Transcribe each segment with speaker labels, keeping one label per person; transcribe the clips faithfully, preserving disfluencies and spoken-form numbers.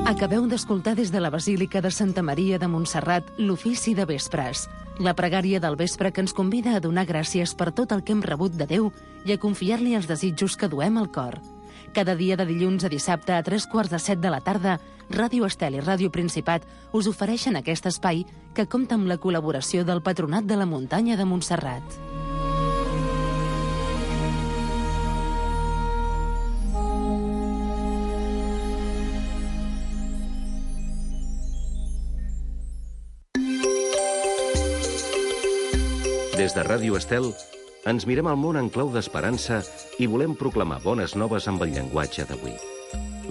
Speaker 1: Acabeu d'escoltar des de la Basílica de Santa Maria de Montserrat l'ofici de vespres, la pregària del vespre que ens convida a donar gràcies per tot el que hem rebut de Déu i a confiar-li els desitjos que duem al cor. Cada dia de dilluns a dissabte a tres quarts de set de la tarda, Ràdio Estel i Ràdio Principat us ofereixen aquest espai que compta amb la col·laboració del Patronat de la Muntanya de Montserrat.
Speaker 2: Des de Ràdio Estel ens mirem al món en clau d'esperança i volem proclamar bones noves amb el llenguatge d'avui.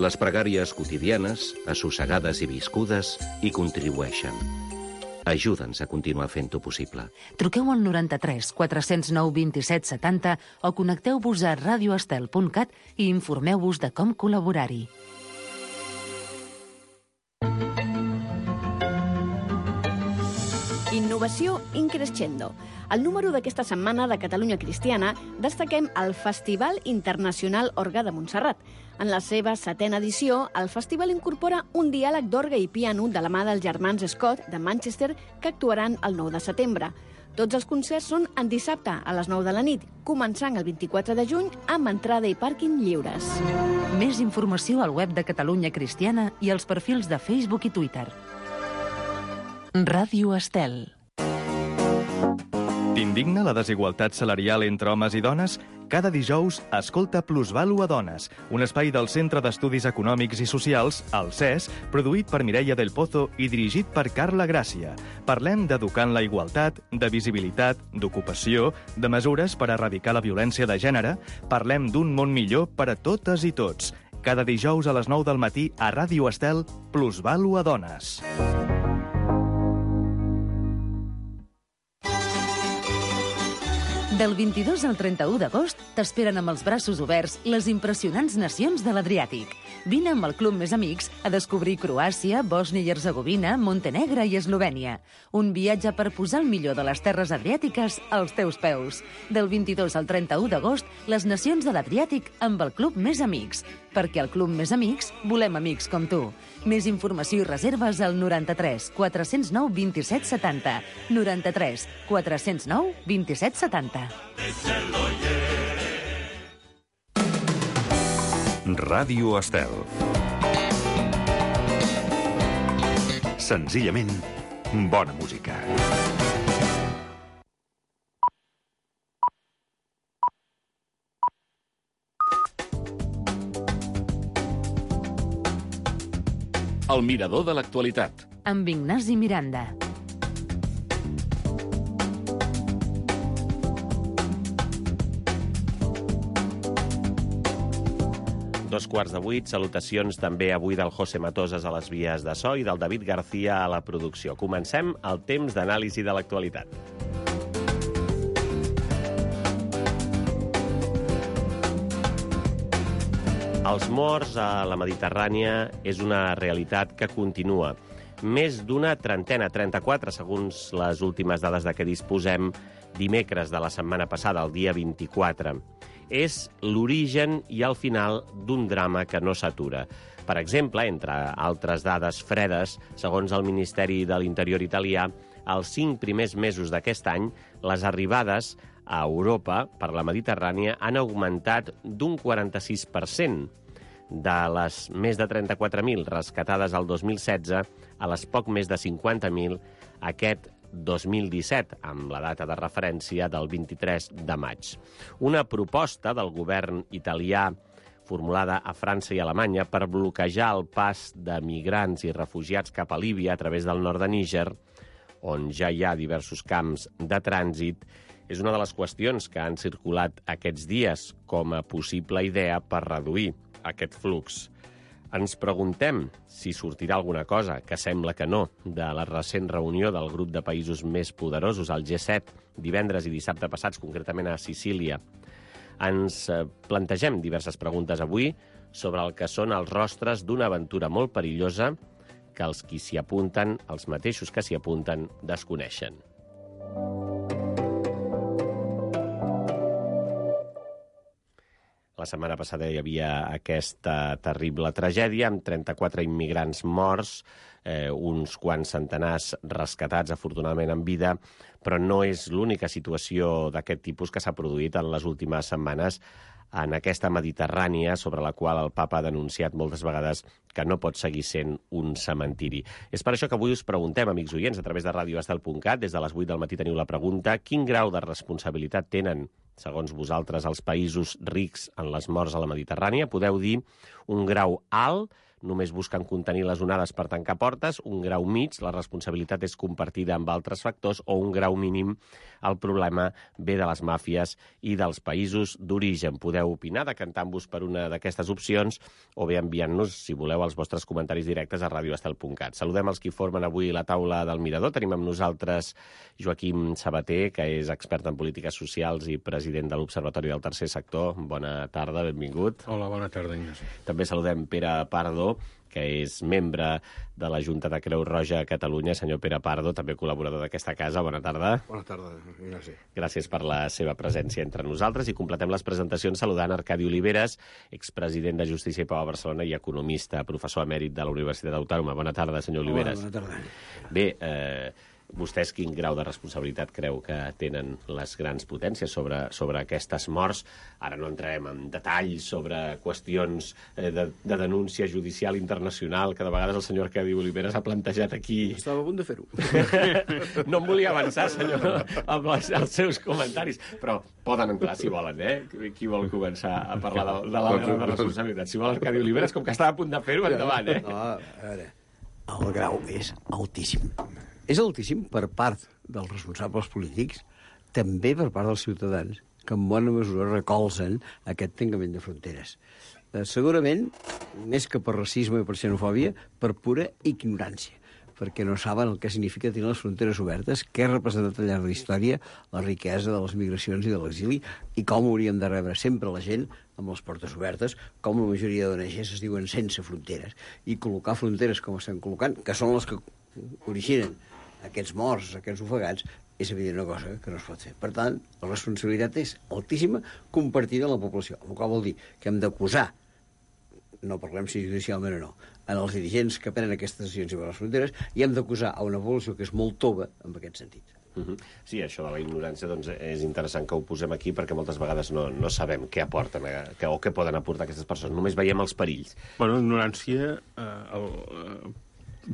Speaker 2: Les pregàries quotidianes, assossegades i viscudes, hi contribueixen. Ajuda'ns a continuar fent-ho possible.
Speaker 1: Truqueu al noranta-tres quatre cents nou vint-i-set setanta o connecteu-vos a radioestel punt cat i informeu-vos de com col·laborar-hi.
Speaker 3: Innovació increscendo. Al número d'aquesta setmana de Catalunya Cristiana destaquem el Festival Internacional Orgue de Montserrat. En la seva setena edició, el festival incorpora un diàleg d'orgue i piano de la mà dels germans Scott de Manchester que actuaran el nou de setembre. Tots els concerts són en dissabte a les nou de la nit, començant el vint-i-quatre de juny amb entrada i pàrquing lliures.
Speaker 1: Més informació al web de Catalunya Cristiana i als perfils de Facebook i Twitter. Ràdio Estel.
Speaker 4: T'indigna la desigualtat salarial entre homes i dones? Cada dijous, escolta Plusvalu a Dones, un espai del Centre d'Estudis Econòmics i Socials, el C E S, produït per Mireia del Pozo i dirigit per Carla Gràcia. Parlem d'educar en la igualtat, de visibilitat, d'ocupació, de mesures per erradicar la violència de gènere. Parlem d'un món millor per a totes i tots. Cada dijous a les nou del matí a Ràdio Estel, Plusvalu a Dones.
Speaker 1: Del vint-i-dos al trenta-u d'agost t'esperen amb els braços oberts les impressionants nacions de l'Adriàtic. Vine amb el Club Més Amics a descobrir Croàcia, Bòsnia i Hercegovina, Montenegre i Eslovènia. Un viatge per posar el millor de les terres adriàtiques als teus peus. Del vint-i-dos al trenta-u d'agost, les nacions de l'Adriàtic amb el Club Més Amics. Perquè al Club Més Amics volem amics com tu. Més informació i reserves al noranta-tres quatre cents nou vint-i-set setanta. noranta-tres quatre cents nou vint-i-set setanta.
Speaker 5: Ràdio Estel. Senzillament, bona música.
Speaker 2: El mirador de l'actualitat.
Speaker 1: Amb Ignasi Miranda.
Speaker 6: Dos quarts de vuit, salutacions també avui del José Matosas a les vies de so i del David García a la producció. Comencem el temps d'anàlisi de l'actualitat. Els morts a la Mediterrània és una realitat que continua. Més d'una trentena, trenta-quatre, segons les últimes dades de què disposem, dimecres de la setmana passada, el dia vint-i-quatre. És l'origen i el final d'un drama que no s'atura. Per exemple, entre altres dades fredes, segons el Ministeri de l'Interior italià, els cinc primers mesos d'aquest any, les arribades a Europa per la Mediterrània han augmentat d'un quaranta-sis per cent. De les més de trenta-quatre mil rescatades al dos mil setze a les poc més de cinquanta mil aquest dos mil disset, amb la data de referència del vint-i-tres de maig. Una proposta del govern italià formulada a França i Alemanya per bloquejar el pas de migrants i refugiats cap a Líbia a través del nord de Níger, on ja hi ha diversos camps de trànsit, és una de les qüestions que han circulat aquests dies com a possible idea per reduir aquest flux. Ens preguntem si sortirà alguna cosa, que sembla que no, de la recent reunió del grup de països més poderosos, el G set, divendres i dissabte passats, concretament a Sicília. Ens plantegem diverses preguntes avui sobre el que són els rostres d'una aventura molt perillosa que els qui s'hi apunten, els mateixos que s'hi apunten, desconeixen. La setmana passada hi havia aquesta terrible tragèdia amb trenta-quatre immigrants morts, eh, uns quants centenars rescatats, afortunadament en vida, però no és l'única situació d'aquest tipus que s'ha produït en les últimes setmanes en aquesta Mediterrània, sobre la qual el papa ha denunciat moltes vegades que no pot seguir sent un cementiri. És per això que avui us preguntem, amics oients, a través de radio estel punt cat, des de les vuit del matí teniu la pregunta: quin grau de responsabilitat tenen, segons vosaltres, els països rics en les morts a la Mediterrània? Podeu dir un grau alt, només busquen contenir les onades per tancar portes, un grau mig, la responsabilitat és compartida amb altres factors, o un grau mínim, el problema ve de les màfies i dels països d'origen. Podeu opinar, decantant-vos per una d'aquestes opcions, o bé enviant-nos, si voleu, els vostres comentaris directes a radio estel punt cat. Saludem els qui formen avui la taula del Mirador. Tenim amb nosaltres Joaquim Sabater, que és expert en polítiques socials i president de l'Observatori del Tercer Sector. Bona tarda, benvingut.
Speaker 7: Hola, bona tarda, Ignasi.
Speaker 6: També saludem Pere Pardo, que és membre de la Junta de Creu Roja a Catalunya. Senyor Pere Pardo, també col·laborador d'aquesta casa. Bona tarda.
Speaker 7: Bona tarda, Ignasi.
Speaker 6: Gràcies per la seva presència entre nosaltres i completem les presentacions saludant Arcadi Oliveres, expresident de Justícia i Pau a Barcelona i economista, professor emèrit de la Universitat Autònoma. Bona tarda, senyor Oliveres.
Speaker 7: Hola, bona tarda.
Speaker 6: Bé, eh, vostès quin grau de responsabilitat creu que tenen les grans potències sobre, sobre aquestes morts? Ara no entrarem en detalls sobre qüestions eh, de, de denúncia judicial internacional que de vegades el senyor Arcadi Oliveres ha plantejat aquí.
Speaker 7: Estava a punt de fer-ho.
Speaker 6: No em volia avançar, senyor, amb els, els seus comentaris, però poden entrar si volen, eh? Qui vol començar a parlar de, de la grau de responsabilitat? Si vol Arcadi Oliveres, com que estava a punt de fer-ho, endavant, eh?
Speaker 8: No, a veure, el grau és altíssim. És altíssim per part dels responsables polítics, també per part dels ciutadans, que en bona mesura recolzen aquest tancament de fronteres. Eh, segurament, més que per racisme i per xenofòbia, per pura ignorància, perquè no saben el que significa tenir les fronteres obertes, què ha representat al llarg de la història la riquesa de les migracions i de l'exili, i com hauríem de rebre sempre la gent amb les portes obertes, com la majoria d'O N Ges es diuen sense fronteres, i col·locar fronteres com estem col·locant, que són les que originen aquests morts, aquests ofegats, és evident una cosa que no es pot fer. Per tant, la responsabilitat és altíssima compartida amb la població, el qual vol dir que hem d'acusar, no parlem si judicialment o no, en els dirigents que prenen aquestes decisions i les fronteres, i hem d'acusar a una població que és molt tova en aquest sentit.
Speaker 6: Uh-huh. Sí, això de la ignorància doncs, és interessant que ho posem aquí perquè moltes vegades no, no sabem què aporten a, que, o què poden aportar aquestes persones. Només veiem els perills.
Speaker 7: Bueno, ignorància eh, el, eh,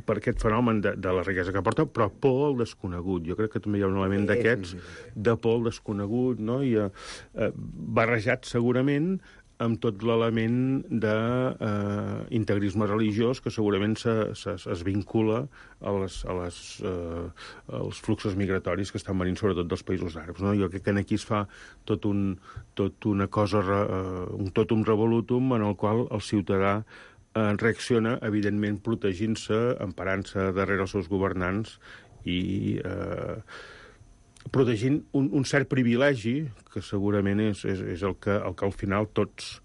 Speaker 7: per aquest fenomen de, de la riquesa que aporta, però por al desconegut. Jo crec que també hi ha un element d'aquests de por al desconegut, no? I, eh, barrejat segurament amb tot l'element d'integrisme eh, religiós que segurament se, se, es vincula a les, a les, eh, als fluxos migratoris que estan venint sobretot dels països àrabs. No? Jo crec que aquí es fa tot, un, tot una cosa, eh, un totum revolutum en el qual el ciutadà eh, reacciona, evidentment, protegint-se, emparant-se darrere els seus governants i eh, protegint un, un cert privilegi que segurament és, és, és el, que, el que al final tots,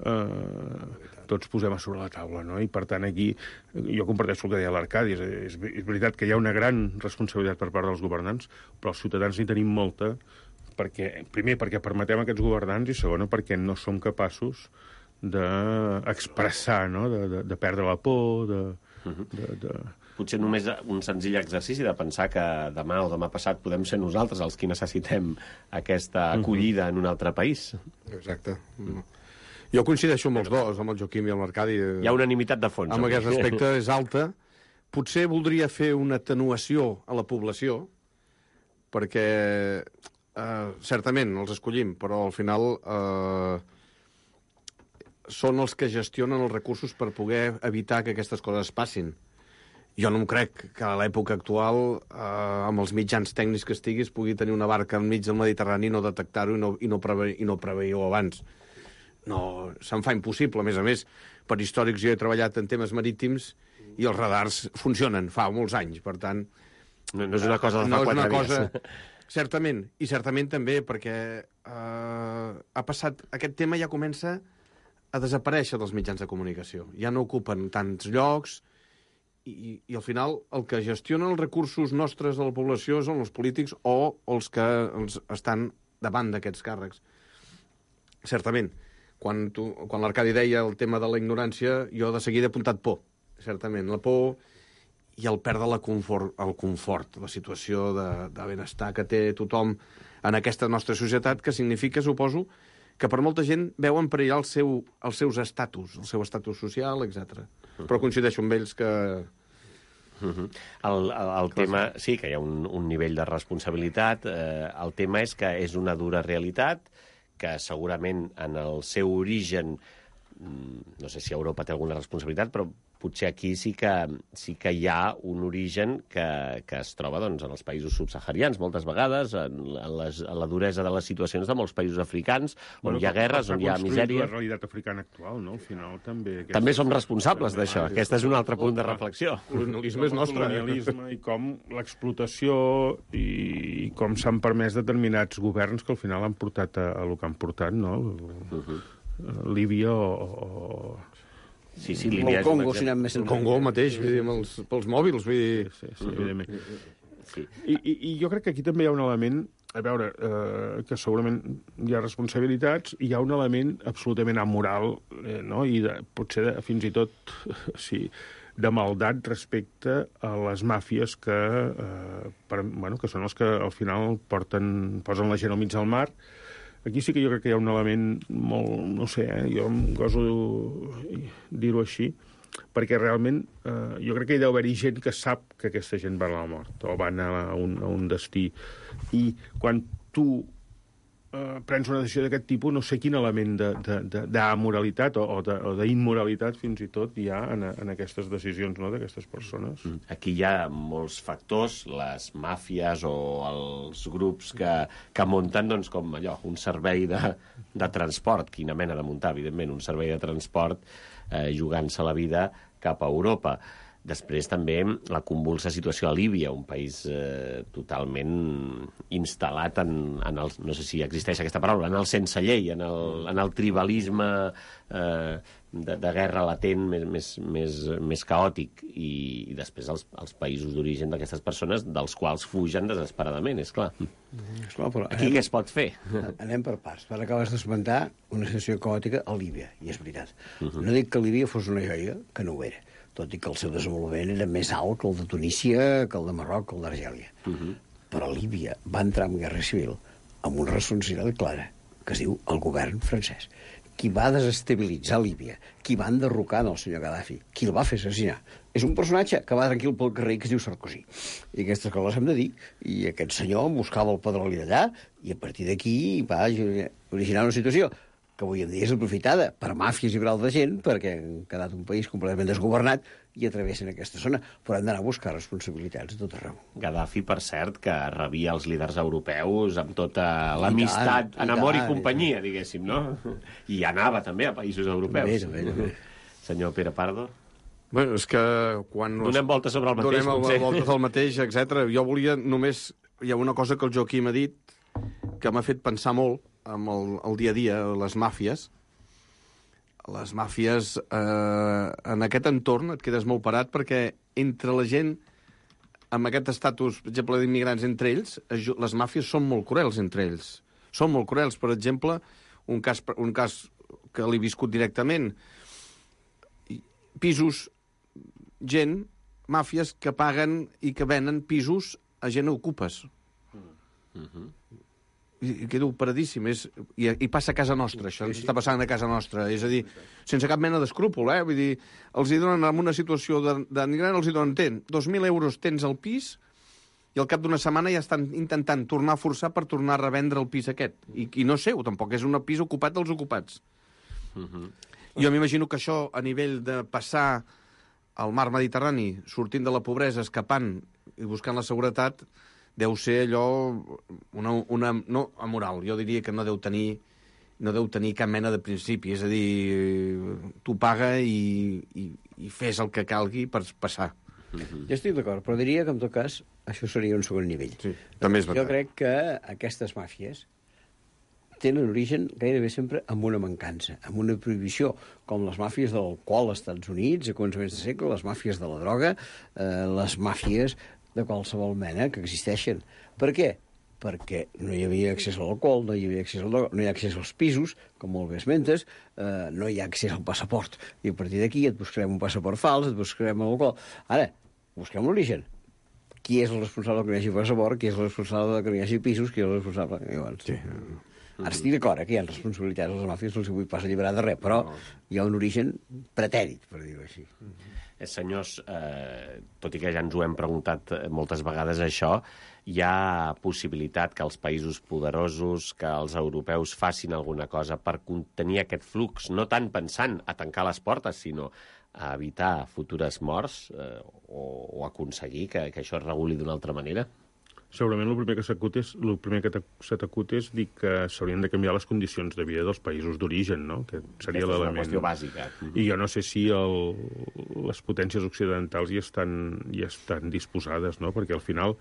Speaker 7: eh, tots posem a sobre la taula, no? I per tant aquí jo comparteixo el que deia l'Arcadi, és, és, és veritat que hi ha una gran responsabilitat per part dels governants, però els ciutadans n'hi tenim molta, perquè, primer perquè permetem aquests governants i segona perquè no som capaços d'expressar, no? de, de, de perdre la por, de... de, de...
Speaker 6: Potser només un senzill exercici de pensar que demà o demà passat podem ser nosaltres els qui necessitem aquesta acollida en un altre país.
Speaker 9: Exacte. Jo coincideixo amb els dos, amb el Joaquim i amb l'Arcadi.
Speaker 6: Hi ha unanimitat de fons.
Speaker 9: Amb aquest aspecte és alta. Potser voldria fer una atenuació a la població, perquè eh, certament els escollim, però al final eh, són els que gestionen els recursos per poder evitar que aquestes coses passin. Jo no em crec que a l'època actual, eh, amb els mitjans tècnics que estiguis, pugui tenir una barca enmig del Mediterrani i no detectar-ho i no, i no, preve, i no preveir-ho abans. No, se'm fa impossible. A més a més, per històrics jo he treballat en temes marítims i els radars funcionen fa molts anys, per tant...
Speaker 6: No, no és una cosa de fa
Speaker 9: no
Speaker 6: quatre
Speaker 9: cosa...
Speaker 6: dies.
Speaker 9: Certament, i certament també perquè eh, ha passat... Aquest tema ja comença a desaparèixer dels mitjans de comunicació. Ja no ocupen tants llocs... I, i al final el que gestionen els recursos nostres de la població són els polítics o els que els estan davant d'aquests càrrecs. Certament, quan, tu, quan l'Arcadi deia el tema de la ignorància, jo de seguida he apuntat por, certament. La por i el perdre la confort, el confort, la situació de, de benestar que té tothom en aquesta nostra societat, que significa, suposo, que per molta gent veuen perillar el seu, els seus estatus, el seu estatus social, etcètera. Però coincideixo amb ells que...
Speaker 6: Uh -huh. El, el, el tema, sí, que hi ha un, un nivell de responsabilitat. Eh, el tema és que és una dura realitat, que segurament en el seu origen, no sé si Europa té alguna responsabilitat, però potser aquí sí que, sí que hi ha un origen que, que es troba doncs, en els països subsaharians, moltes vegades, en, en, les, en la duresa de les situacions de molts països africans, on bueno, hi ha guerres, on hi ha misèria.
Speaker 7: La realitat africana actual, no? Al final també... Aquest...
Speaker 6: També som responsables d'això. Aquest és un altre punt de reflexió.
Speaker 7: El colonialisme és nostre. El colonialisme i com l'explotació i, i com s'han permès determinats governs que al final han portat a, a el que han portat, no? Uh -huh. Líbia o... o...
Speaker 6: Sí, sí, Líbia
Speaker 8: el Congo, si anem més
Speaker 9: el Congo mateix, vull dir, amb els, pels mòbils, vull dir...
Speaker 7: Sí, sí, sí, evidentment. Sí. I, i, I jo crec que aquí també hi ha un element, a veure, eh, que segurament hi ha responsabilitats, i hi ha un element absolutament amoral, eh, no? I de, potser de, fins i tot, sí, de maldat respecte a les màfies que, eh, per, bueno, que són els que al final porten, posen la gent al mig del mar. Aquí sí que jo crec que hi ha un element molt, no sé, eh, jo em goso dir-ho així, perquè realment eh, jo crec que hi deu haver-hi gent que sap que aquesta gent va a la mort o van a un, a un destí. I quan tu eh, prens una decisió d'aquest tipus, no sé quin element d'amoralitat o, o d'immoralitat fins i tot hi ha en, en aquestes decisions, no?, d'aquestes persones.
Speaker 6: Aquí hi ha molts factors, les màfies o els grups que, que munten doncs, com allò, un servei de, de transport, quina mena de muntar, evidentment, un servei de transport eh, jugant-se la vida cap a Europa. Després també la convulsa situació a Líbia, un país eh, totalment instal·lat en, en el, no sé si existeix aquesta paraula, en el sense llei, en el, en el tribalisme eh, de, de guerra latent més, més, més, més caòtic, i, i després els, els països d'origen d'aquestes persones, dels quals fugen desesperadament, és clar. Mm,
Speaker 8: esclar, però
Speaker 6: aquí anem, què es pot fer?
Speaker 8: Anem per parts. Per acabes d'esmentar una situació caòtica a Líbia, i és veritat. Uh -huh. No dic que Líbia fos una joia, que no ho era, tot i que el seu desenvolupament era més alt que el de Tunísia, que el de Marroc, que el d'Argèlia. Uh -huh. Però Líbia va entrar en guerra civil amb una responsabilitat clara, que es diu el govern francès. Qui va desestabilitzar Líbia, qui va enderrocar el senyor Gaddafi, qui el va fer assassinar, és un personatge que va tranquil pel carrer que es diu Sarkozy. I aquestes coses hem de dir. I aquest senyor buscava el petroli d'allà i a partir d'aquí va originar una situació que avui en dia és aprofitada per màfies i per altra gent, perquè han quedat un país completament desgovernat i atravessen aquesta zona, però hem d'anar a buscar responsabilitats a tot arreu.
Speaker 6: Gaddafi, per cert, que rebia els líders europeus amb tota l'amistat, en amor i, i companyia, diguéssim, no? I anava també a països europeus.
Speaker 8: També, també, també.
Speaker 6: Senyor Pere Pardo?
Speaker 9: Bueno, és que quan...
Speaker 6: Donem voltes sobre el mateix,
Speaker 9: Donem
Speaker 6: potser.
Speaker 9: voltes al mateix, etcètera. Jo volia només... Hi ha una cosa que el Joaquim ha dit que m'ha fet pensar molt amb el, el dia a dia, les màfies. Les màfies, eh, en aquest entorn et quedes molt parat perquè entre la gent amb aquest estatus, per exemple, d'immigrants entre ells, les màfies són molt cruels entre ells. Són molt cruels. Per exemple, un cas, un cas que l'he viscut directament, pisos, gent, màfies que paguen i que venen pisos a gent a ocupes. Mm-hmm. I quedo paradíssim. És, i, I passa a casa nostra, això ens està passant a casa nostra. És a dir, sense cap mena d'escrúpol, eh? Vull dir, els hi donen en una situació d'emigrant, els hi donen, ten, dos mil euros tens al pis i al cap d'una setmana ja estan intentant tornar a forçar per tornar a revendre el pis aquest. I, i no seu, tampoc, és un pis ocupat dels ocupats. Mm-hmm. Jo m'imagino que això, a nivell de passar al mar Mediterrani, sortint de la pobresa, escapant i buscant la seguretat, deu ser allò una, una, no amoral, jo diria que no deu tenir no deu tenir cap mena de principi, és a dir, tu paga i, i, i fes el que calgui per passar.
Speaker 8: Mm-hmm. Jo estic d'acord, però diria que en tot cas això seria un segon nivell.
Speaker 9: Sí, també és veritat.
Speaker 8: Jo crec que aquestes màfies tenen origen gairebé sempre amb una mancança, amb una prohibició, com les màfies de l'alcohol als Estats Units, a començaments de segle, les màfies de la droga, eh, les màfies de qualsevol mena que existeixen. Per què? perquè no hi havia accés a l'alcohol, no hi havia accés al droga, no hi ha accés als pisos, com molt bé esmentes, eh, no hi ha accés al passaport. I a partir d'aquí et buscarem un passaport fals, et buscarem l'alcohol. Ara, busquem l'origen. Qui és el responsable que no hi hagi passaport, qui és el responsable que no hi hagi pisos, qui és el responsable... Llavors, sí. Ara estic d'acord, eh, que hi ha responsabilitats als màfies, no els vull pas alliberar de res, però hi ha un origen pretèrit, per dir-ho així.
Speaker 6: Eh, senyors, eh, tot i que ja ens ho hem preguntat moltes vegades això, hi ha possibilitat que els països poderosos, que els europeus facin alguna cosa per contenir aquest flux, no tant pensant a tancar les portes, sinó a evitar futures morts eh, o, o aconseguir que, que això es reguli d'una altra manera?
Speaker 7: Segurament el primer que s'acut és, el primer que se t'acut és dir que s'haurien de canviar les condicions de vida dels països d'origen, no? Que seria l'element.
Speaker 6: Aquesta és una qüestió bàsica.
Speaker 7: I jo no sé si el, les potències occidentals hi estan, hi estan disposades, no? Perquè al final,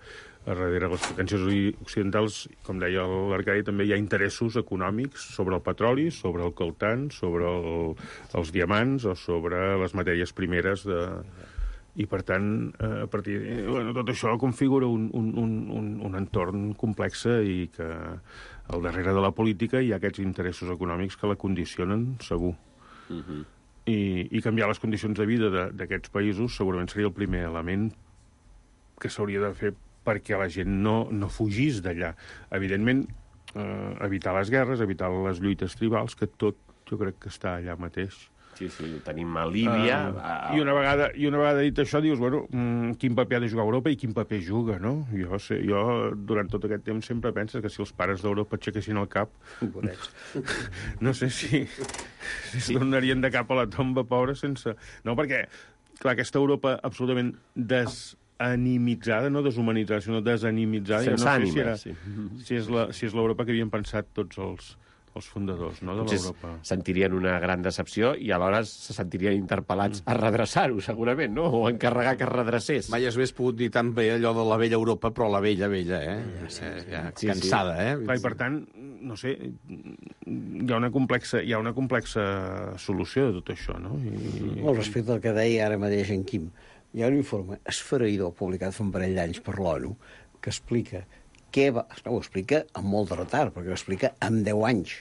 Speaker 7: a darrere les potències occidentals, com deia l'Arcadi, també hi ha interessos econòmics sobre el petroli, sobre el coltan, sobre el, els diamants o sobre les matèries primeres de... I, per tant, a partir de, bueno, tot això configura un, un, un, un entorn complex i que al darrere de la política hi ha aquests interessos econòmics que la condicionen, segur. Uh-huh. I, I canviar les condicions de vida d'aquests països segurament seria el primer element que s'hauria de fer perquè la gent no, no fugís d'allà. Evidentment, eh, evitar les guerres, evitar les lluites tribals, que tot jo crec que està allà mateix.
Speaker 6: Sí, sí, ho tenim a Líbia...
Speaker 7: Uh, I, una vegada, I una vegada dit això, dius, bueno, mm, quin paper ha de jugar Europa i quin paper juga, no? Jo, sé, jo durant tot aquest temps sempre penso que si els pares d'Europa aixequessin el cap, no sé si, si es tornarien de cap a la tomba, pobra, sense... No, perquè, clar, aquesta Europa absolutament desanimitzada, no deshumanitzada, sinó desanimitzada...
Speaker 6: Sense
Speaker 7: no
Speaker 6: ànima,
Speaker 7: si era,
Speaker 6: sí.
Speaker 7: Si és la, si és l'Europa que havien pensat tots els... els fundadors, no, de l'Europa.
Speaker 6: Sentirien una gran decepció i alhora se sentirien interpel·lats a redreçar-ho, segurament, no? O encarregar que es redrecés.
Speaker 9: Mai es hagués pogut dir tan bé allò de la vella Europa, però la vella, vella, eh? Ja, sí, sí. Ja, sí, cansada, sí. eh?
Speaker 7: Clar, i per tant, no sé, hi ha una complexa, hi ha una complexa solució de tot això, no? I...
Speaker 8: Al respecte al que deia ara mateix en Quim, hi ha un informe esfereïdor publicat fa un parell d'anys per l'ONU que explica què va... No, ho explica amb molt de retard, perquè ho explica amb deu anys.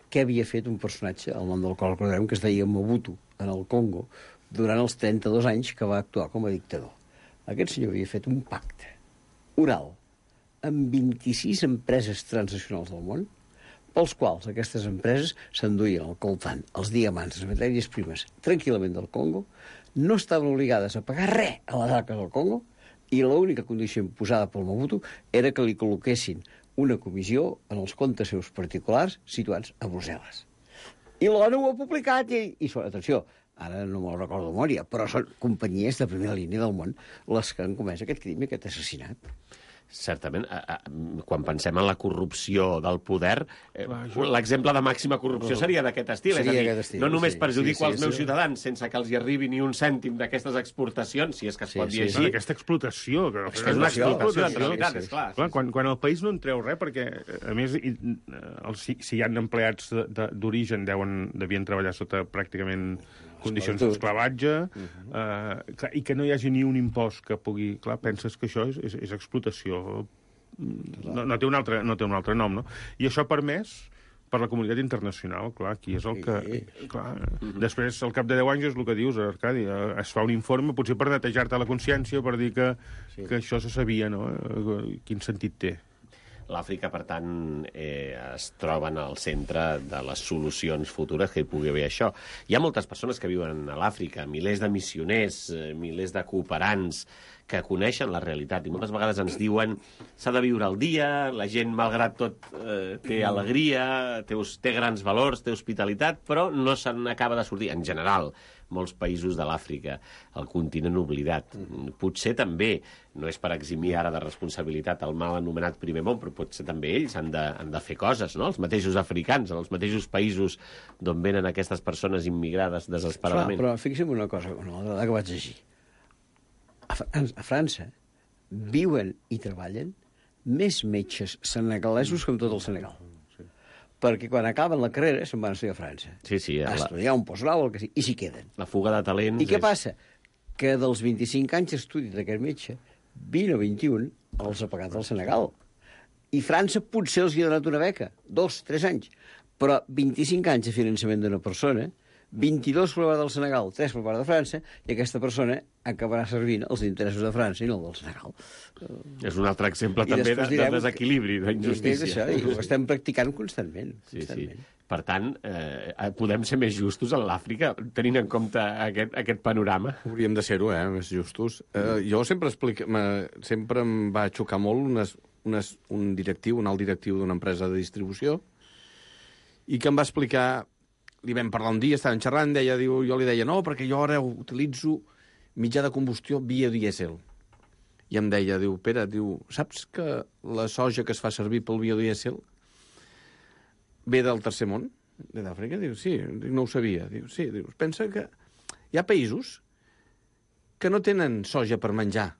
Speaker 8: Què havia fet un personatge, el nom del qual recordarem, que es deia Mobutu, en el Congo, durant els trenta-dos anys que va actuar com a dictador. Aquest senyor havia fet un pacte oral amb vint-i-sis empreses transnacionals del món, pels quals aquestes empreses s'enduien el coltan, els diamants, les matèries primes, tranquil·lament del Congo, no estaven obligades a pagar res a les arques del Congo, i l'única condició imposada pel Mobutu era que li col·loquessin una comissió en els comptes seus particulars situats a Brussel·les. I l'ONU ho ha publicat i, i atenció, ara no me'l recordo de memòria, però són companyies de primera línia del món les que han comès aquest crim i aquest assassinat.
Speaker 6: Certament, a, a, quan pensem en la corrupció del poder, eh, l'exemple de màxima corrupció seria d'aquest estil.
Speaker 8: Seria
Speaker 6: és a dir,
Speaker 8: estil,
Speaker 6: no només
Speaker 8: sí,
Speaker 6: perjudico
Speaker 8: sí, sí,
Speaker 6: als meus
Speaker 8: sí.
Speaker 6: ciutadans sense que els hi arribi ni un cèntim d'aquestes exportacions, si és que es
Speaker 8: Sí,
Speaker 6: pot
Speaker 8: sí,
Speaker 6: dir
Speaker 8: sí.
Speaker 6: així.
Speaker 7: Bueno, aquesta explotació... Que
Speaker 6: És que és una explotació, en
Speaker 7: sí,
Speaker 6: realitat,
Speaker 7: sí,
Speaker 6: és clar.
Speaker 7: Clar, quan, quan el país no en treu res, perquè, a més, i, els, si, si hi ha empleats d'origen deuen, devien treballar sota pràcticament condicions d'esclavatge, uh-huh. eh, i que no hi hagi ni un impost que pugui... Clar, penses que això és, és, és explotació... No, no, té un altre, no té un altre nom, no? I això ha permès per la comunitat internacional, clar, aquí és el que... Clar, uh-huh. Després, al cap de deu anys, és el que dius, Arcadi, es fa un informe, potser per netejar-te la consciència, per dir que, sí. que això se sabia, no? Quin sentit té?
Speaker 6: L'Àfrica, per tant, eh, es troba en el centre de les solucions futures que hi pugui haver això. Hi ha moltes persones que viuen a l'Àfrica, milers de missioners, eh, milers de cooperants que coneixen la realitat i moltes vegades ens diuen s'ha de viure el dia, la gent, malgrat tot, eh, té alegria, té, té grans valors, té hospitalitat, però no se n'acaba de sortir. En general, molts països de l'Àfrica, el continent oblidat. Potser també, no és per eximir ara de responsabilitat el mal anomenat primer món, però potser també ells han de, han de fer coses, no? Els mateixos africans, en els mateixos països d'on venen aquestes persones immigrades desesperadament.
Speaker 8: Clar, però fixa'm una cosa, una altra que vaig llegir. A França, a França viuen i treballen més metges senegalesos que en tot el Senegal. Perquè quan acaben la carrera se'n van a estudiar a França.
Speaker 6: Sí, sí.
Speaker 8: A
Speaker 6: la...
Speaker 8: estudiar un postgrau o el que sigui, i s'hi queden.
Speaker 6: La fuga de talents...
Speaker 8: I què
Speaker 6: és...
Speaker 8: passa? Que dels vint-i-cinc anys d'estudi d'aquest metge, vint o vint-i-un els ha pagat el Senegal. I França potser els hi ha donat una beca, dos, tres anys, però vint-i-cinc anys de finançament d'una persona, vint-i-dos per part del Senegal, tres per part de França, i aquesta persona acabarà servint els interessos de França i no el del Senegal.
Speaker 6: És un altre exemple
Speaker 8: I
Speaker 6: també de,
Speaker 8: després
Speaker 6: de
Speaker 8: direm
Speaker 6: desequilibri,
Speaker 8: que-
Speaker 6: d'injustícia.
Speaker 8: És això, i ho estem practicant constantment.
Speaker 6: Sí, sí.
Speaker 8: constantment.
Speaker 6: Per tant, eh, podem ser més justos en l'Àfrica, tenint en compte aquest, aquest panorama.
Speaker 9: Hauríem de ser-ho, eh, més justos. Eh, jo sempre explica, me, sempre em va xocar molt unes, unes, un directiu, un alt directiu d'una empresa de distribució, i que em va explicar, li vam parlar un dia, estàvem xerrant, deia, diu, jo li deia, no, perquè jo ara utilitzo mitjà de combustió biodièsel. I em deia, diu, Pere, diu, saps que la soja que es fa servir pel biodièsel ve del tercer món, de d'Àfrica? Diu, sí, diu, no ho sabia. Diu, sí, diu, pensa que hi ha països que no tenen soja per menjar,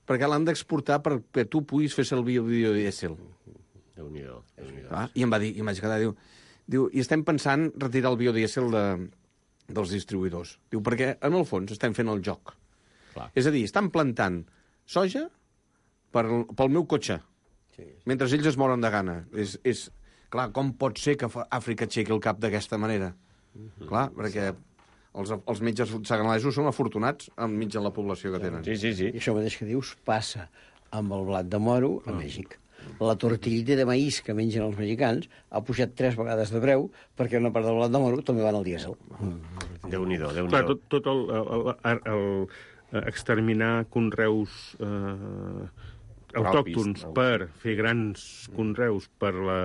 Speaker 9: perquè l'han d'exportar perquè tu puguis fer servir el biodièsel.
Speaker 6: Déu-n'hi-do, Déu-n'hi-do.
Speaker 9: Ah, I em va dir, i em vaig quedar, diu, diu, i estem pensant retirar el biodièsel de, dels distribuïdors. Diu, perquè en el fons estem fent el joc.
Speaker 6: Clar.
Speaker 9: És a dir, estan plantant soja per, pel meu cotxe, sí, sí. mentre ells es moren de gana. És, és, clar, com pot ser que Àfrica aixequi el cap d'aquesta manera? Mm-hmm. Clar, perquè els, els metges senegalesos són afortunats enmig de la població que tenen.
Speaker 6: Sí, sí, sí.
Speaker 8: I això mateix que dius passa amb el blat de moro a Mèxic. La tortillita de maïs que mengen els mexicans ha pujat tres vegades de preu perquè una part del blat de moro també va al dièsel.
Speaker 6: Déu-n'hi-do,
Speaker 7: Clar,
Speaker 6: Déu-n'hi-do.
Speaker 7: tot, tot el, el, el, el exterminar conreus eh, autòctons
Speaker 6: no?
Speaker 7: per fer grans conreus per la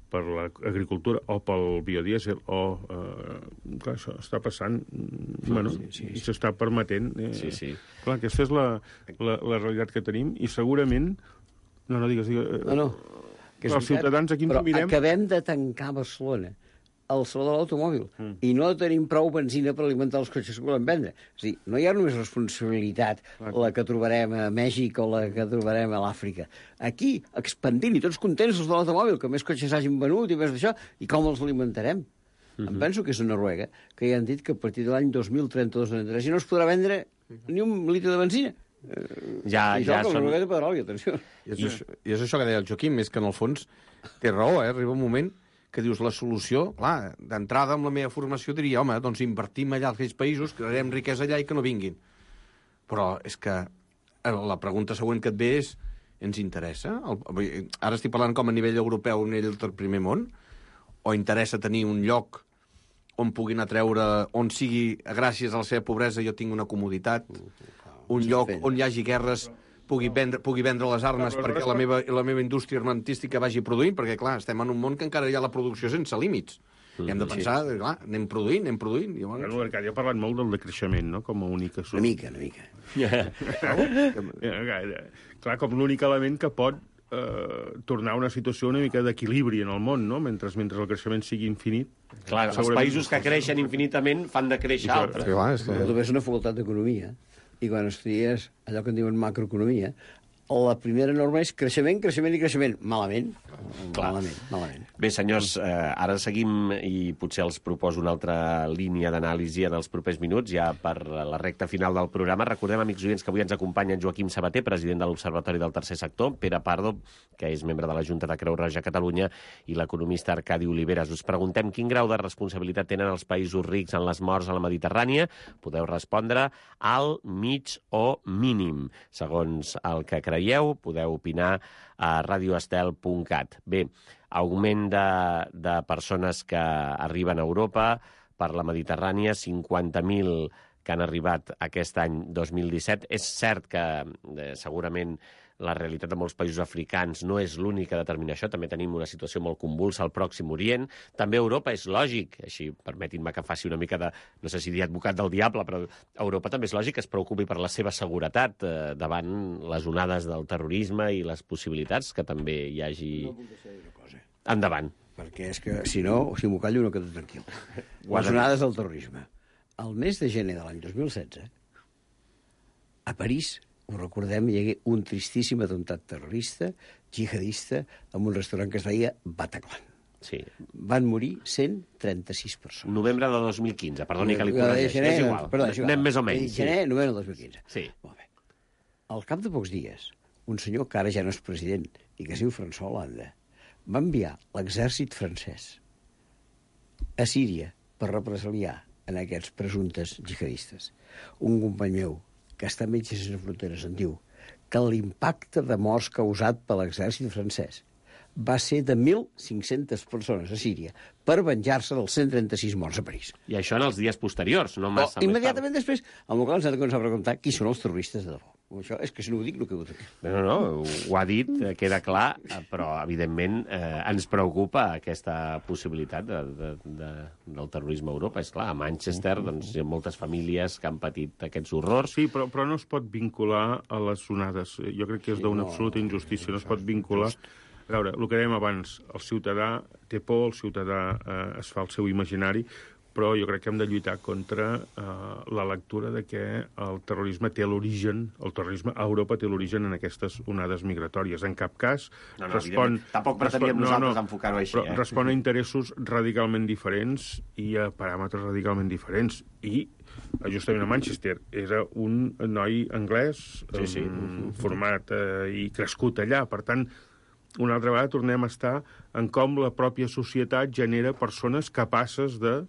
Speaker 7: per l'agricultura o pel biodièsel o... Eh, clar, això està passant, sí, bueno, sí, sí, i s'està permetent. Eh,
Speaker 6: Sí, sí.
Speaker 7: Clar, aquesta és la, la, la realitat que tenim i segurament... No, no, digues, digues.
Speaker 8: No, no. Que és
Speaker 7: Els
Speaker 8: veritat,
Speaker 7: ciutadans aquí ens
Speaker 8: però
Speaker 7: ho mirem...
Speaker 8: acabem de tancar Barcelona, el saló de l'automòbil, mm. i no tenim prou benzina per alimentar els cotxes que volem vendre. És a dir, no hi ha només responsabilitat
Speaker 7: Clar.
Speaker 8: la que trobarem a Mèxic o la que trobarem a l'Àfrica. Aquí, expandint, i tots contents els de l'automòbil, que més cotxes hagin venut i més d'això, i com els alimentarem? Mm-hmm. Em penso que és a Noruega, que ja han dit que a partir de l'any dos mil trenta-dos ja no es podrà vendre ni un litre de benzina.
Speaker 6: Ja,
Speaker 8: I
Speaker 6: ja
Speaker 8: això que
Speaker 6: són...
Speaker 8: el Noruega té petroli, atenció.
Speaker 9: I és, això, I és això que deia el Joaquim, és que en el fons té raó, eh? Arriba un moment que dius la solució, clar, d'entrada amb la meva formació diria, home, doncs invertim allà als aquells països, crearem riquesa allà i que no vinguin. Però és que la pregunta següent que et ve és, ens interessa? El, ara estic parlant com a nivell europeu, a nivell del primer món, o interessa tenir un lloc on puguin atreure, on sigui, gràcies a la seva pobresa, jo tinc una comoditat, un lloc on hi hagi guerres, pugui vendre, pugui vendre les armes perquè la meva, la meva indústria armentística vagi produint, perquè, clar, estem en un món que encara hi ha la producció sense límits. I hem de pensar, sí. clar, anem produint, anem produint. I,
Speaker 7: bueno, l'Arcadi ha parlat molt del decreixement, no?, com a única solució.
Speaker 8: Una mica, una mica.
Speaker 7: Yeah. Clar, com l'únic element que pot eh, tornar a una situació una mica d'equilibri en el món, no?, mentre, mentre el creixement sigui infinit.
Speaker 6: Clar, els països que creixen infinitament fan de créixer altres.
Speaker 9: Sí, clar, és que...
Speaker 8: Tu ves una facultat d'economia i quan estudies allò que en diuen macroeconomia, la primera norma és creixement, creixement i creixement. Malament.
Speaker 6: Clar.
Speaker 8: Malament, malament.
Speaker 6: Bé, senyors, eh, ara seguim i potser els proposo una altra línia d'anàlisi en els propers minuts, ja per la recta final del programa. Recordem, amics oients, que avui ens acompanyen Joaquim Sabater, president de l'Observatori del Tercer Sector, Pere Pardo, que és membre de la Junta de Creu Roja a Catalunya, i l'economista Arcadi Oliveres. Us preguntem quin grau de responsabilitat tenen els països rics en les morts a la Mediterrània. Podeu respondre al mig o mínim, segons el que creieu. Podeu opinar a radioestel punt cat. Bé, augment de, de persones que arriben a Europa per la Mediterrània, cinquanta mil que han arribat aquest any dos mil disset. És cert que eh, segurament la realitat de molts països africans no és l'única a determinar això. També tenim una situació molt convulsa al Pròxim Orient. També Europa és lògic, així permetin-me que faci una mica de, no sé si dir advocat del diable, però Europa també és lògic que es preocupi per la seva seguretat eh, davant les onades del terrorisme i les possibilitats que també hi hagi...
Speaker 8: No puc deixar de dir una cosa.
Speaker 6: Endavant.
Speaker 8: Perquè és que, si no, si m'ho callo, no quedo tranquil. Les onades del terrorisme. El mes de gener de l'any dos mil setze, a París, ho recordem, hi hagué un tristíssim atemptat terrorista, jihadista, en un restaurant que es deia Bataclan.
Speaker 6: Sí.
Speaker 8: Van morir cent trenta-sis persones.
Speaker 6: Novembre de dos mil quinze, perdoni que li corregeixi.
Speaker 8: Gener,
Speaker 6: És igual,
Speaker 8: perdó, és igual.
Speaker 6: anem més o menys.
Speaker 8: Gener, sí. Novembre del dos mil quinze.
Speaker 6: Sí.
Speaker 8: Molt bé. Al cap de pocs dies, un senyor que ara ja no és president i que es diu François Hollande, va enviar l'exèrcit francès a Síria per represaliar en aquests presumptes jihadistes. Un company meu, que està a Metges Sense Fronteres, en diu que l'impacte de morts causat per l'exèrcit francès va ser de mil cinc-centes persones a Síria per venjar-se dels cent trenta-sis morts a París.
Speaker 6: I això en els dies posteriors, no massa.
Speaker 8: O, immediatament després, amb el qual ens hem de començar a preguntar qui són els terroristes de debò. Això és que si no ho dic, no quedo aquí.
Speaker 6: No, no, ho ha dit, queda clar, però evidentment eh, ens preocupa aquesta possibilitat de, de, de, del terrorisme a Europa. És clar, a Manchester doncs, hi ha moltes famílies que han patit aquests horrors.
Speaker 7: Sí, però, però no es pot vincular a les onades. Jo crec que és d'una absoluta injustícia. No es pot vincular... A veure, el que dèiem abans, el ciutadà té por, el ciutadà eh, es fa el seu imaginari, però jo crec que hem de lluitar contra eh, la lectura de que el terrorisme té l'origen, el terrorisme a Europa té l'origen en aquestes onades migratòries. En cap cas
Speaker 6: no, no,
Speaker 7: respon...
Speaker 6: Tampoc preteníem
Speaker 7: respon,
Speaker 6: nosaltres
Speaker 7: no, no,
Speaker 6: enfocar-ho així.
Speaker 7: Però
Speaker 6: eh?
Speaker 7: respon a interessos radicalment diferents i a paràmetres radicalment diferents. I justament a Manchester era un noi anglès
Speaker 6: sí, sí.
Speaker 7: Um, format eh, i crescut allà. Per tant, una altra vegada tornem a estar en com la pròpia societat genera persones capaces de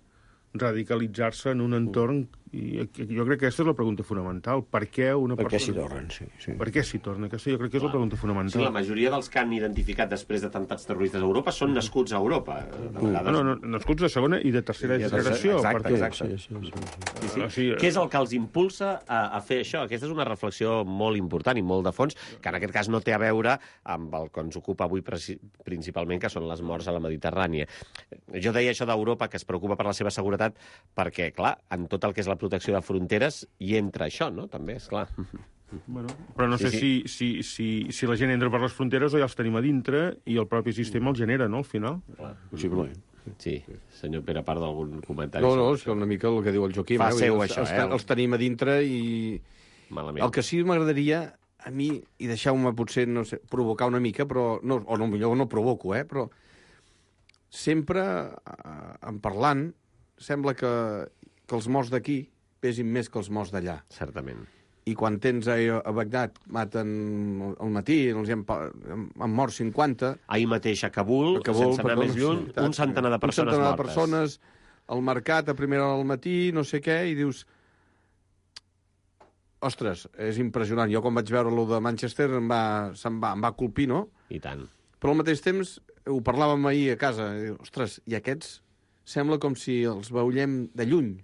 Speaker 7: radicalitzar-se en un entorn... I jo crec que aquesta és la pregunta fonamental. Per què una
Speaker 8: per
Speaker 7: persona...
Speaker 8: què s'hi tornen, sí, sí.
Speaker 7: Per què s'hi torna? Aquesta jo crec que és la pregunta fonamental.
Speaker 6: Sí, la majoria dels que han identificat després d'atemptats terroristes a Europa són nascuts a Europa. De vegades...
Speaker 7: No, no, nascuts de segona i de tercera I de generació.
Speaker 6: Exacte,
Speaker 7: perquè...
Speaker 6: exacte.
Speaker 8: Sí, sí, sí, sí.
Speaker 6: Sí, sí.
Speaker 7: O sigui,
Speaker 6: Què és el que els impulsa a, a fer això? Aquesta és una reflexió molt important i molt de fons, que en aquest cas no té a veure amb el que ens ocupa avui principalment, que són les morts a la Mediterrània. Jo deia això d'Europa, que es preocupa per la seva seguretat, perquè, clar, en tot el que és la protecció de fronteres hi entra això, no? També, és clar.
Speaker 7: Bueno, però no sé sí, sí. Si, si, si, si la gent entra per les fronteres o ja els tenim a dintre i el propi sistema el genera, no?, al final.
Speaker 6: Clar.
Speaker 8: Possiblement.
Speaker 6: Sí, senyor Pere, a part d'algun comentari.
Speaker 9: No, no, és una mica el que diu el Joaquim.
Speaker 6: Fa
Speaker 9: eh?
Speaker 6: seu,
Speaker 9: els,
Speaker 6: això,
Speaker 9: els,
Speaker 6: eh?
Speaker 9: Els tenim a dintre i...
Speaker 6: Malament.
Speaker 9: El que sí m'agradaria a mi, i deixeu-me potser, no sé, provocar una mica, però no, o no, millor no provoco, eh? Però sempre, eh, en parlant, sembla que, que els morts d'aquí pesin més que els morts d'allà.
Speaker 6: Certament.
Speaker 9: I quan tens a, a Bagdad, maten al matí, els han, han mort cinquanta...
Speaker 6: Ahir mateix a Kabul, a Kabul sense anar perdó, més lluny, sí, un centenar de persones mortes. Un centenar de persones,
Speaker 9: al mercat a primera hora del matí, no sé què, i dius... Ostres, és impressionant. Jo quan vaig veure lo de Manchester em va, se'm va, em va colpir, no?
Speaker 6: I tant.
Speaker 9: Però al mateix temps, ho parlàvem ahir a casa, i, ostres, i aquests sembla com si els veiem de lluny.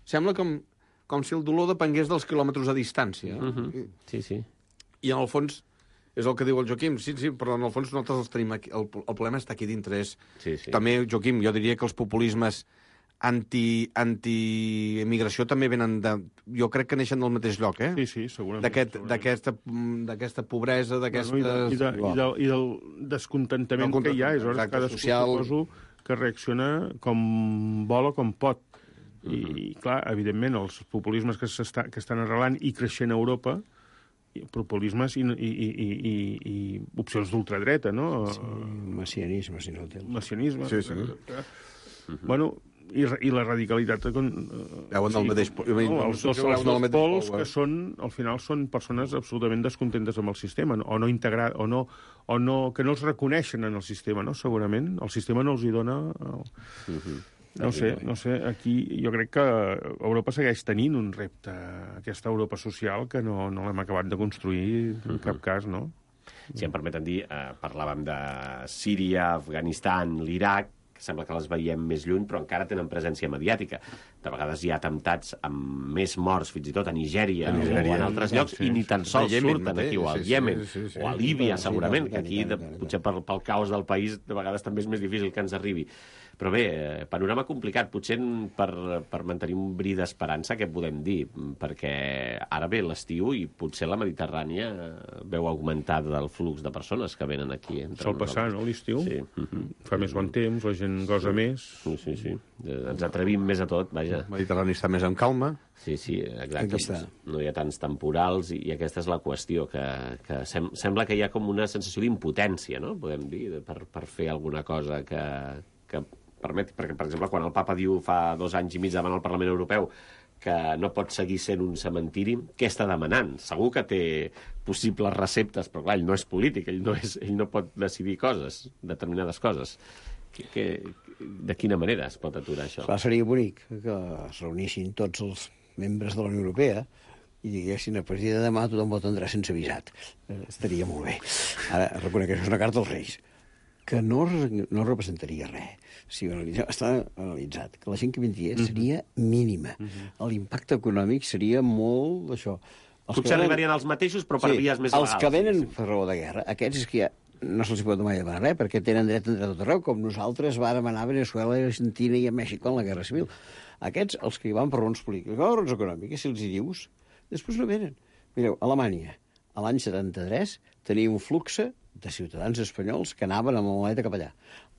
Speaker 9: Sembla com... com si el dolor depengués dels quilòmetres a distància.
Speaker 6: Uh -huh. Sí, sí.
Speaker 9: I en el fons, és el que diu el Joaquim, sí, sí, però en el fons nosaltres els tenim aquí. El, el problema està aquí dintre. És...
Speaker 6: Sí, sí.
Speaker 9: També, Joaquim, jo diria que els populismes anti, anti-emigració també venen de... Jo crec que neixen del mateix lloc, eh?
Speaker 7: Sí, sí, segurament.
Speaker 9: D'aquesta d'aquesta pobresa, d'aquesta...
Speaker 7: Bueno, i, de, i, de, i, del, I del descontentament del que hi ha. És hora que cadascú social... suposo que reacciona com vol o com pot. I, uh -huh. i clar, evidentment, els populismes que, que estan arrelant i creixent a Europa, populismes i, i, i, i, i opcions d'ultradreta, no?
Speaker 8: Sí, messianisme, si no el té.
Speaker 7: Messianisme.
Speaker 9: Sí, sí.
Speaker 7: Uh -huh. Bueno, i, i la radicalitat... Con,
Speaker 9: veuen del mateix...
Speaker 7: No, els, els, els dos pols que són, al final, són persones absolutament descontentes amb el sistema, o no integrar, o no, o no, que no els reconeixen en el sistema, no? Segurament. El sistema no els hi dona... El... Uh -huh. No sé, no sé, aquí jo crec que Europa segueix tenint un repte, aquesta Europa social, que no, no l'hem acabat de construir en cap cas, no?
Speaker 6: Si em permeten dir, eh, parlàvem de Síria, Afganistan, l'Iraq, que sembla que les veiem més lluny, però encara tenen presència mediàtica. De vegades hi ha atemptats amb més morts, fins i tot a Nigèria, a Nigèria o en altres llocs, sí, i ni tan sols surten aquí, o al Iemen, sí, sí, sí, o a Líbia, segurament, que aquí, de, potser pel, pel caos del país, de vegades també és més difícil que ens arribi. Però bé, panorama complicat. Potser per, per mantenir un bri d'esperança, què podem dir? Perquè ara ve l'estiu i potser la Mediterrània veu augmentat el flux de persones que venen aquí.
Speaker 7: Sol passar, no, l'estiu?
Speaker 6: Sí.
Speaker 7: Fa més bon temps, la gent gosa
Speaker 6: sí.
Speaker 7: més.
Speaker 6: Sí, sí, sí. Ens atrevim més a tot, vaja.
Speaker 9: El Mediterrani està més en calma.
Speaker 6: Sí, sí, exacte. No hi ha tants temporals i, i aquesta és la qüestió, que, que sem sembla que hi ha com una sensació d'impotència, no?, podem dir, per, per fer alguna cosa que... que permet, perquè, per exemple, quan el papa diu fa dos anys i mig davant al Parlament Europeu que no pot seguir sent un cementiri, què està demanant? Segur que té possibles receptes, però clar, ell no és polític, ell no, és, ell no pot decidir coses, determinades coses. Que, que, de quina manera es pot aturar això?
Speaker 8: Clar, seria bonic que es reunissin tots els membres de la Unió Europea i diguessin a partir de demà tothom vot Andrés sense avisat. Eh, estaria molt bé. Ara, reconec que això és una carta als Reis, que no, no representaria res. Si ho analitzem, està analitzat, que la gent que vindria seria mínima. L'impacte econòmic seria molt d'això. Els
Speaker 6: Potser venen... arribarien els mateixos, però per
Speaker 8: sí,
Speaker 6: vies més
Speaker 8: els
Speaker 6: legals.
Speaker 8: Els que venen per raó de guerra, aquests és que ja no se'ls pot mai demanar res, perquè tenen dret a entrar a tot arreu, com nosaltres vàrem anar a Venezuela, a Argentina i a Mèxic en la Guerra Civil. Aquests, els que hi van per raons polítiques, per raons econòmiques, si els hi dius, després no venen. Mireu, a Alemanya, a l'any setanta-tres, tenia un flux de ciutadans espanyols que anaven amb la maleta cap allà.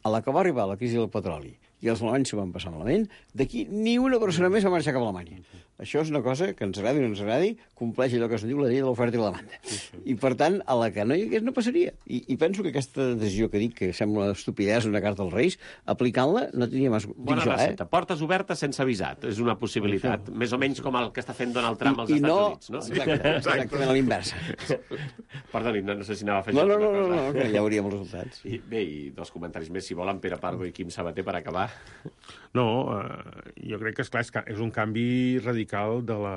Speaker 8: A la que va arribar la crisi del petroli i els alemanys s'ho van passar malament, d'aquí ni una persona més va marxar cap a Alemanya. Això és una cosa que ens agradi o no ens agradi, compleix allò que es diu la llei de l'oferta i la demanda. I, per tant, a la que no hi hagués no passaria. I, i penso que aquesta decisió que dic, que sembla estupidesa, una carta als Reis, aplicant-la no tenia més...
Speaker 6: Bona recepta. Eh? Portes obertes sense avisat. És una possibilitat. Sí. Més o menys com el que està fent Donald Trump als
Speaker 8: I, i
Speaker 6: Estats
Speaker 8: no...
Speaker 6: Units. No?
Speaker 8: Exacte, exactament a l'inversa.
Speaker 6: Perdoni, no, no sé si anava a fer
Speaker 8: no, no,
Speaker 6: no,
Speaker 8: no, no, no, que ja veuríem els resultats.
Speaker 6: I, bé, i dos comentaris més, si volen, Pere Pardo i Quim Sabater, per acabar.
Speaker 7: No, eh, jo crec que, esclar, és, és un canvi radical de la,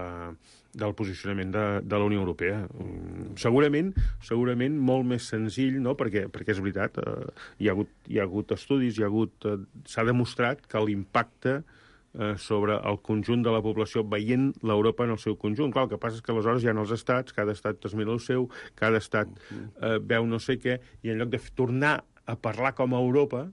Speaker 7: del posicionament de, de la Unió Europea. Mm, segurament, segurament molt més senzill, no? perquè, perquè és veritat, eh, hi, ha hagut, hi ha hagut estudis, hi ha hagut, eh, s'ha demostrat que l'impacte eh, sobre el conjunt de la població veient l'Europa en el seu conjunt. Clar, el que passa és que aleshores hi ha els estats, cada estat es mira el seu, cada estat eh, veu no sé què, i en lloc de tornar a parlar com a Europa,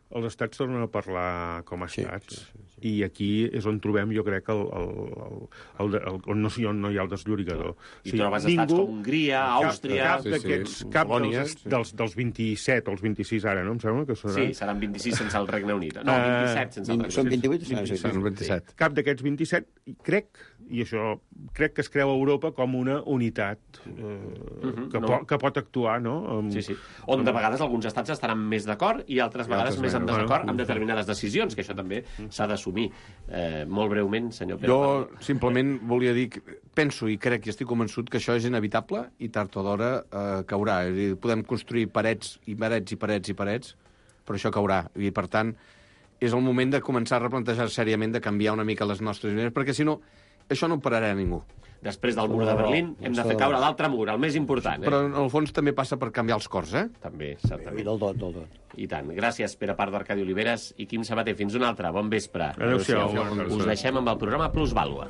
Speaker 7: els estats tornen a parlar com a estats. Sí, sí, sí. I aquí és on trobem, jo crec, el, el, el, el, el, on no, no hi ha el desllorigador.
Speaker 6: I o sigui, trobes ningú, estats com Hongria, Àustria...
Speaker 7: Cap, cap d'aquests, sí, sí. cap dels, sí. dels, dels vint-i-set o els vint-i-sis ara, no? Em sembla que seran...
Speaker 6: Sí, seran vint-i-sis sense el Regne Unit. No, vint-i-set sense el Regne Unit.
Speaker 8: Són vint-i-vuit?
Speaker 7: vint-i-set, vint-i-set. Cap d'aquests vint-i-set, crec, i això crec que es creu Europa com una unitat eh, uh-huh, que, no. po que pot actuar, no? Amb,
Speaker 6: sí, sí. On de vegades alguns estats estaran més d'acord i altres vegades més en desacord bueno, amb determinades decisions, que això també s'ha d'assumir. Eh, molt breument, senyor Pere.
Speaker 9: Jo simplement volia dir que penso i crec i estic convençut que això és inevitable i tard o d'hora eh, caurà. És a dir, podem construir parets i parets i parets i parets, però això caurà. I, per tant, és el moment de començar a replantejar seriament de canviar una mica les nostres idees, perquè si no, això no ho pararà a ningú.
Speaker 6: Després del mur de Berlín hem de fer caure l'altre mur, el més important. Eh?
Speaker 9: Però en el fons també passa per canviar els cors, eh?
Speaker 6: També, certament.
Speaker 8: I del tot, del tot.
Speaker 6: I tant. Gràcies, Pere Pardo, Arcadi Oliveres i Quim Sabater. Fins una altra. Bon vespre.
Speaker 7: Adéu-siau.
Speaker 6: Us deixem amb el programa Plusvàlua.